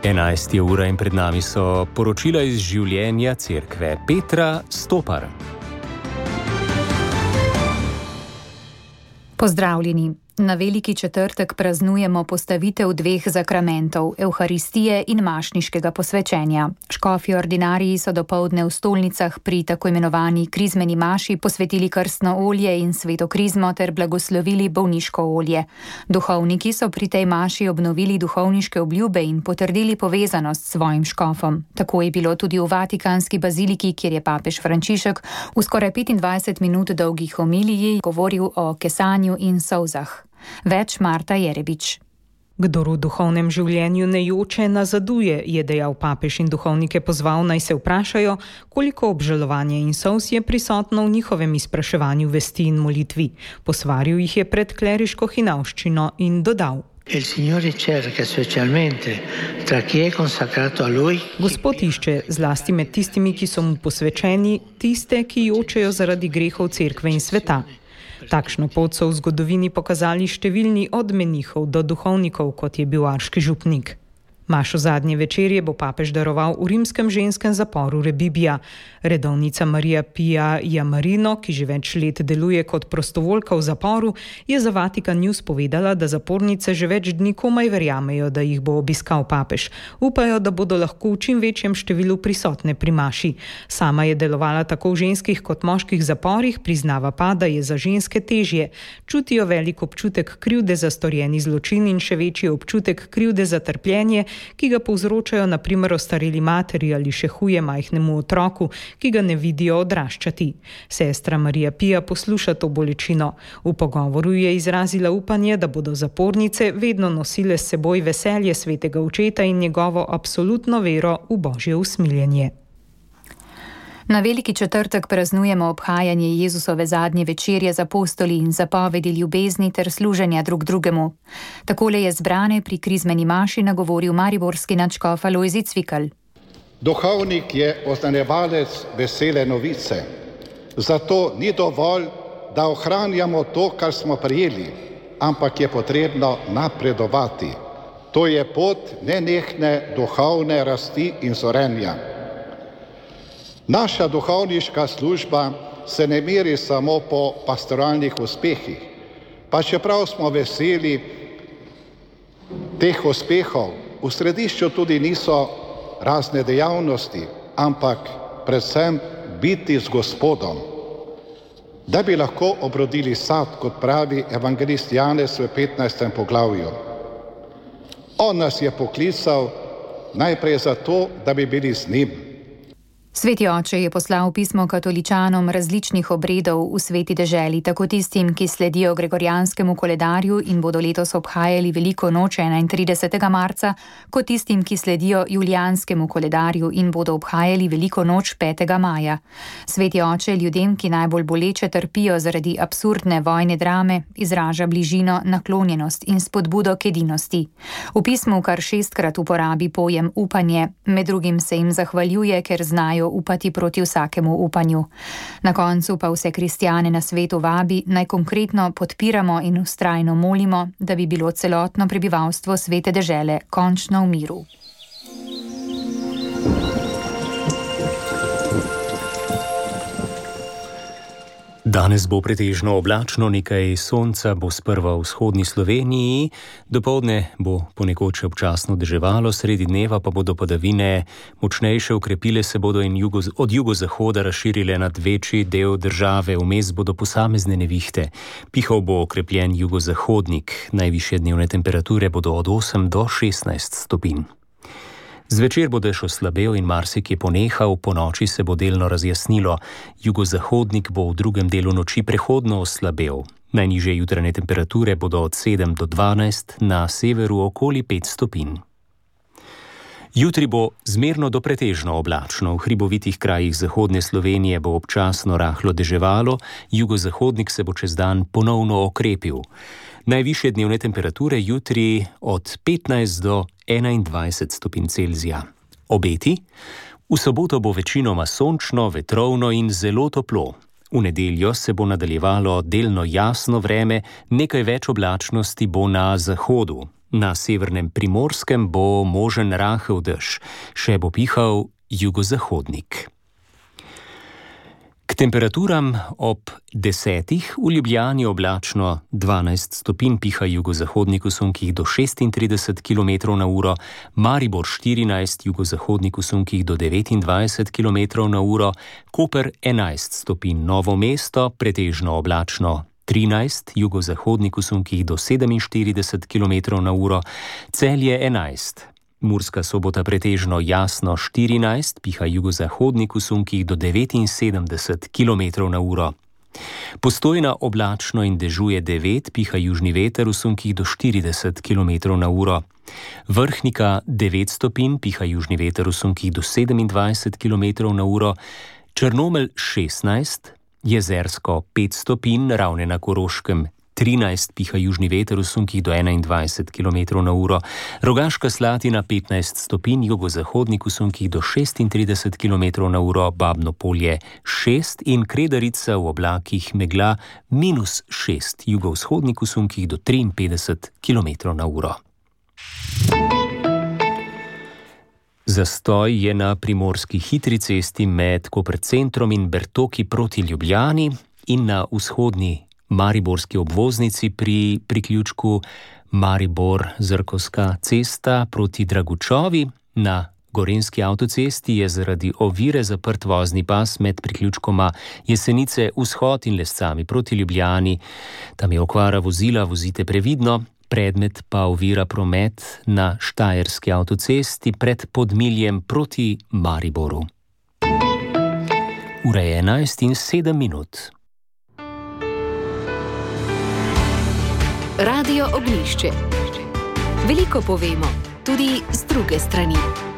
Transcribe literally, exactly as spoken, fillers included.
enajsta ura in pred nami so poročila iz življenja cerkve. Petra Stopar. Pozdravljeni. Na Veliki četrtek praznujemo postavitev dveh zakramentov, evharistije in mašniškega posvečenja. Škofji ordinariji so dopoldne v stolnicah pri tako imenovani krizmeni maši posvetili krstno olje in sveto krizmo ter blagoslovili bolniško olje. Duhovniki so pri tej maši obnovili duhovniške obljube in potrdili povezanost s svojim škofom. Tako je bilo tudi v Vatikanski baziliki, kjer je papež Frančišek v skoraj petindvajset minut dolgi homiliji govoril o kesanju in solzah. Več Marta Jerebič. Kdor v duhovnem življenju ne joče, nazaduje, je dejal papež in duhovnike pozval, naj se vprašajo, koliko obžalovanja in solz je prisotno v njihovem izpraševanju vesti in molitvi. Posvaril jih je pred kleriško hinavščino in dodal: Gospod išče, zlasti med tistimi, ki so mu posvečeni, tiste, ki jočejo zaradi grehov cerkve in sveta. Takšno pot so v zgodovini pokazali številni od menihov do duhovnikov, kot je bil arški župnik. Mašo zadnje večerje bo papež daroval v rimskem ženskem zaporu Rebibbia. Redovnica Marija Pia Jamarino, ki že več let deluje kot prostovoljka v zaporu, je za Vatikan News povedala, da zapornice že več dni komaj verjamejo, da jih bo obiskal papež. Upajo, da bodo lahko v čim večjem številu prisotne pri maši. Sama je delovala tako v ženskih kot moških zaporih, priznava pa, da je za ženske težje. Čutijo velik občutek krivde za storjeni zločin in še večji občutek krivde za trpljenje, ki ga povzročajo na primer ostareli materi ali še huje majhnemu otroku, ki ga ne vidijo odraščati. Sestra Marija Pia posluša to bolečino. V pogovoru je izrazila upanje, da bodo zapornice vedno nosile s seboj veselje svetega očeta in njegovo absolutno vero v božje usmiljenje. Na Veliki četrtek praznujemo obhajanje Jezusove zadnje večerje z apostoli in zapovedi ljubezni ter služenja drug drugemu. Takole je zbrane pri krizmeni maši nagovoril mariborski nadškof Alojzij Cvikl. Duhovnik je oznanjevalec vesele novice. Zato ni dovolj, da ohranjamo to, kar smo prejeli, ampak je potrebno napredovati. To je pot nenehne duhovne rasti in zorenja. Naša duhovniška služba se ne meri samo po pastoralnih uspehih, pa čeprav smo veseli teh uspehov, v središču tudi niso razne dejavnosti, ampak predvsem biti z Gospodom. Da bi lahko obrodili sad, kot pravi evangelist Janez v petnajstem poglavju. On nas je poklical najprej zato, da bi bili z njim. Sveti oče je poslal pismo katoličanom različnih obredov v sveti deželi, tako tistim, ki sledijo gregorijanskemu koledarju in bodo letos obhajali veliko noč enaintridesetega marca, kot tistim, ki sledijo julijanskemu koledarju in bodo obhajali veliko noč petega maja. Sveti oče ljudem, ki najbolj boleče trpijo zaradi absurdne vojne drame, izraža bližino, naklonjenost in spodbudo k edinosti. V pismu kar šestkrat uporabi pojem upanje, med drugim se jim zahvaljuje, ker znajo upati proti vsakemu upanju. Na koncu pa vse kristjane na svetu vabi, naj konkretno podpiramo in vztrajno molimo, da bi bilo celotno prebivalstvo svete dežele končno v miru. Danes bo pretežno oblačno, nekaj sonca bo sprva v vzhodni Sloveniji, dopoldne bo ponekod še občasno deževalo, sredi dneva pa bodo padavine močnejše, ukrepile se bodo in jugo, od jugozahoda razširile nad večji del države, vmes bodo posamezne nevihte. Pihal bo okrepljen jugozahodnik, najvišje dnevne temperature bodo od osem do šestnajst stopinj. Zvečer bo dež oslabel in marsikje ponehal, po noči se bo delno razjasnilo. Jugozahodnik bo v drugem delu noči prehodno oslabel. Najnižje jutranje temperature bodo od sedem do dvanajst, na severu okoli pet stopinj. Jutri bo zmerno do pretežno oblačno. V hribovitih krajih zahodne Slovenije bo občasno rahlo deževalo, jugozahodnik se bo čez dan ponovno okrepil. Najvišje dnevne temperature jutri od petnajst do enaindvajset stopinj Celzija. Obeti? V soboto bo večinoma sončno, vetrovno in zelo toplo. V nedeljo se bo nadaljevalo delno jasno vreme, nekaj več oblačnosti bo na zahodu. Na severnem Primorskem bo možen rahel dež, še bo pihal jugozahodnik. K temperaturam ob desetih v Ljubljani oblačno dvanajst stopinj, piha jugozahodnik v sunkih do šestintrideset kilometrov na uro, Maribor štirinajst, jugozahodnik v sunkih do devetindvajset kilometrov na uro, Koper enajst stopinj, Novo mesto pretežno oblačno trinajst, jugozahodnik v sunkih do sedeminštirideset kilometrov na uro, Celje enajst. Murska Sobota pretežno jasno štirinajst, piha jugozahodnik v sunkih do devetinsedemdeset kilometrov na uro. Postojna oblačno in dežuje devet, piha južni veter v sunkih do štirideset kilometrov na uro. Vrhnika devet stopinj, piha južni veter v sunkih do sedemindvajset kilometrov na uro. Črnomelj šestnajst, Jezersko pet stopinj, Ravne na Koroškem trinajst, piha južni veter v sunkih do enaindvajset kilometrov na uro, Rogaška Slatina petnajst stopinj, jugozahodnik v sunkih do šestintrideset kilometrov na uro, Babno Polje šest in Kredarica v oblakih megla minus šest, jugovzhodnik v sunkih do triinpetdeset kilometrov na uro. Zastoj je na primorski hitri cesti med Koper-centrom in Bertoki proti Ljubljani in na vzhodni mariborski obvoznici pri priključku Maribor-Zrkovska cesta proti Dragučovi. Na gorenjski avtocesti je zaradi ovire zaprt vozni pas med priključkoma Jesenice vzhod in Lescami proti Ljubljani. Tam je okvara vozila, vozite previdno. Predmet pa ovira promet na štajerski avtocesti pred Podmiljem proti Mariboru. Ura je enajst in sedem minut. Radio Oglišče. Veliko povemo, tudi z druge strani.